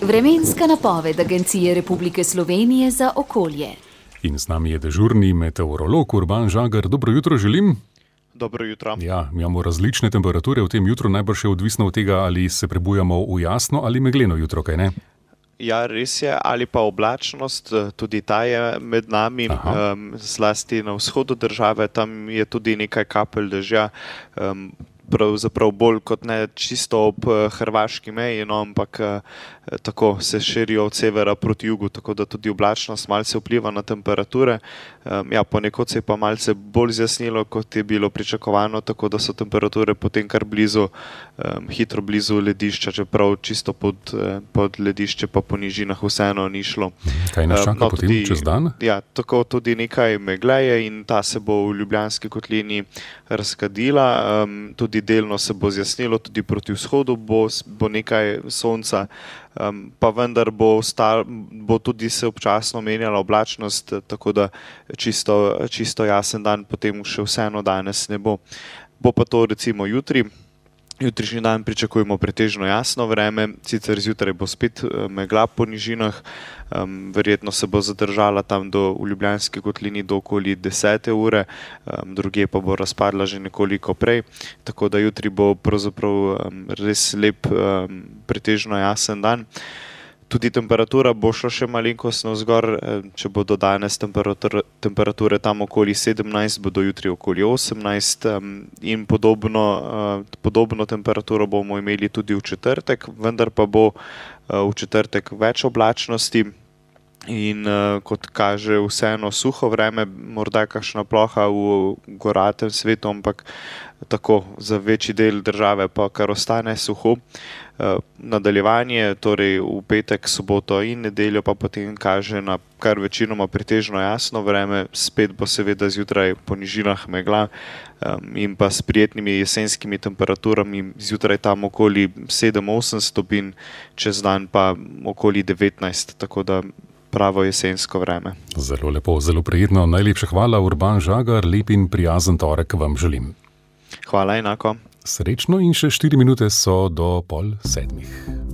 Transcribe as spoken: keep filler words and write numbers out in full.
Vremenska napoved Agencije Republike Slovenije za okolje. In z nami je dežurni meteorolog Urban Žagar. Dobro jutro želim. Dobro jutro. Ja, imamo različne temperature v tem jutru, najbrž je odvisno od tega, ali se prebujamo v jasno ali megleno jutro, kaj ne? Ja, res je, ali pa oblačnost, tudi ta je med nami, um, zlasti na vzhodu države, tam je tudi nekaj kapelj dežja, um, pravzaprav bolj kot ne čisto ob hrvaški meji, no, ampak tako se širijo od severa proti jugu, tako da tudi oblačnost malce vpliva na temperature. Um, ja, ponekod se je pa malce bolj zjasnilo, kot je bilo pričakovano, tako da so temperature potem kar blizu, um, hitro blizu ledišča, čeprav čisto pod, pod ledišče pa po nižinah vseeno ni šlo. Kaj nas čaka um, no, potem tudi, čez dan? Ja, tako tudi nekaj megleje in ta se bo v Ljubljanski kotlini razkadila, um, tudi delno se bo zjasnilo, tudi proti vzhodu bo, bo nekaj sonca, um, pa vendar bo, stal, bo tudi se občasno menjala oblačnost, tako da čisto, čisto jasen dan potem še vseeno danes ne bo. Bo pa to recimo jutri. Jutrišnji dan pričakujemo pretežno jasno vreme, sicer zjutraj bo spet megla po nižinah, um, verjetno se bo zadržala tam do, v Ljubljanski kotlini do okoli desete ure, um, drugje pa bo razpadla že nekoliko prej, tako da jutri bo pravzaprav um, res lep, um, pretežno jasen dan. Tudi temperatura bo šla še malenkost navzgor, če bodo danes temperature, temperature tam okoli sedemnajst, bodo jutri okoli osemnajst in podobno, podobno temperaturo bomo imeli tudi v četrtek, vendar pa bo v četrtek več oblačnosti in kot kaže vseeno suho vreme, morda kakšna ploha v goratem svetu, ampak tako za večji del države pa kar ostane suho. Nadaljevanje, torej v petek, soboto in nedeljo pa potem kaže na kar večinoma pretežno jasno vreme, spet bo seveda zjutraj po nižinah megla in pa s prijetnimi jesenskimi temperaturami, zjutraj tam okoli sedem osem stopinj, čez dan pa okoli devetnajst, tako da pravo jesensko vreme. Zelo lepo, zelo prijetno. Najlepša hvala, Urban Žagar, lep in prijazen torek vam želim. Hvala, enako. Srečno in še štiri minute so do pol sedmih.